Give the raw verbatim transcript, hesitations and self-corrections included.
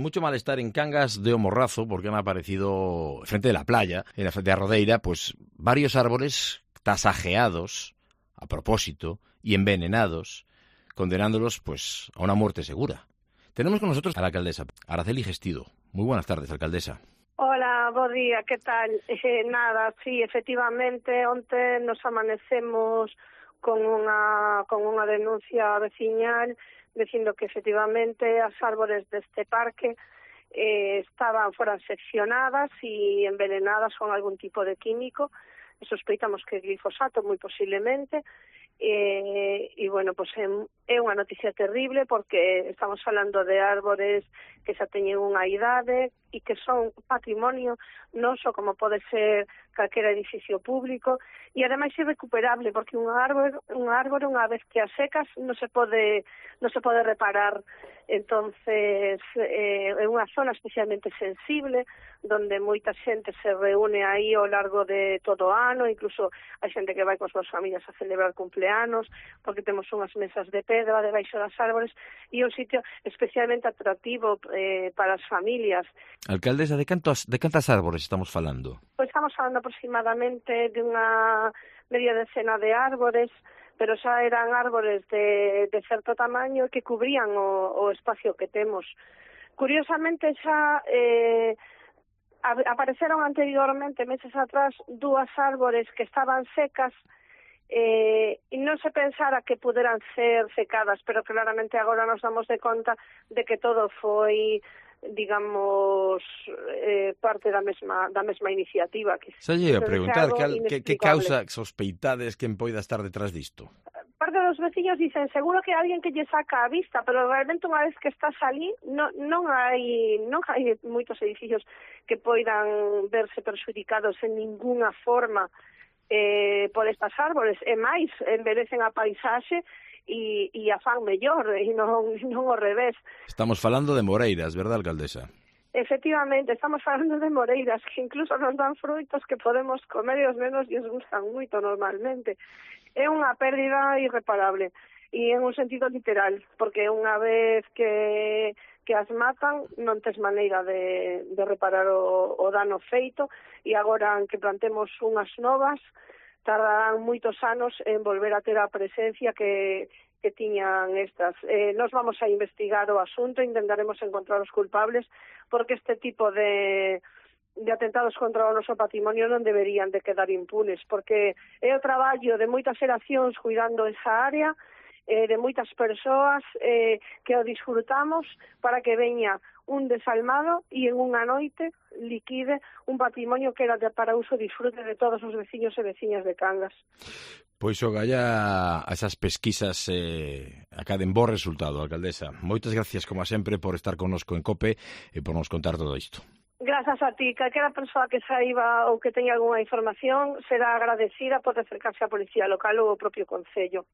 Mucho malestar en Cangas de O Morrazo porque han aparecido frente de la playa, en la frente de Rodeira, pues varios árboles tasajeados a propósito y envenenados, condenándolos pues a una muerte segura. Tenemos con nosotros a la alcaldesa, Araceli Gestido. Muy buenas tardes, alcaldesa. Hola, bo día, que tal? Eh, nada, sí, efectivamente, onte nos amanecemos con unha con unha denuncia veciñal dicindo que efectivamente as árbores deste parque eh, estaban foran seccionadas e envenenadas con algún tipo de químico. Sospeitamos que glifosato, moi posiblemente. E, e bueno, pues é, é unha noticia terrible porque estamos falando de árbores que xa teñen unha idade e que son patrimonio non só como pode ser calquera edificio público e ademais irrecuperable porque un árbore, un árbore unha vez que as secas non se pode non se pode reparar. Entonces eh, é unha zona especialmente sensible donde moita xente se reúne aí ao largo de todo o ano, incluso hai xente que vai coas súas familias a celebrar cumpleanos porque temos unhas mesas de pedra debaixo das árbores e un sitio especialmente atractivo eh, para as familias. Alcaldesa, de cantos, de cantas árbores estamos falando? Pois estamos falando aproximadamente de unha media decena de árbores, pero xa eran árbores de, de certo tamaño que cubrían o, o espacio que temos. Curiosamente xa eh, apareceron anteriormente, meses atrás, dúas árbores que estaban secas eh, e non se pensara que puderan ser secadas, pero claramente agora nos damos de conta de que todo foi digamos eh, parte da mesma da mesma iniciativa que se lle a preguntar que, que, que causa sospeitades quen poida estar detrás disto. Parte dos veciños dicen seguro que hai alguén que lle saca a vista, pero realmente unha vez que estás ali non, non hai non hai moitos edificios que poidan verse perxudicados en ninguna forma eh, por estas árbores, e máis enverecen a paisaxe e, e a fan mellor, e non, non ao revés. Estamos falando de moreiras, verdad, alcaldesa? Efectivamente, estamos falando de moreiras que incluso non dan frutos que podemos comer e os nenos lles gustan moito normalmente. É unha pérdida irreparable e en un sentido literal, porque unha vez que, que as matan non tes maneira de, de reparar o, o dano feito e agora que plantemos unhas novas tardarán moitos anos en volver a ter a presencia que, que tiñan estas. Eh, nos vamos a investigar o asunto, intentaremos encontrar os culpables, porque este tipo de, de atentados contra o noso patrimonio non deberían de quedar impunes, porque é o traballo de moitas xeracións cuidando esa área, eh, de moitas persoas eh, que o disfrutamos para que veña un desalmado e en unha noite liquide un patrimonio que era de para uso e disfrute de todos os veciños e veciñas de Cangas. Pois o galla a esas pesquisas eh, acaden bo resultado, alcaldesa. Moitas gracias, como sempre, por estar connosco en COPE e por nos contar todo isto. Grazas a ti. Calquera persoa que saiba ou que teña algunha información será agradecida por acercarse á Policía Local ou ao propio Concello.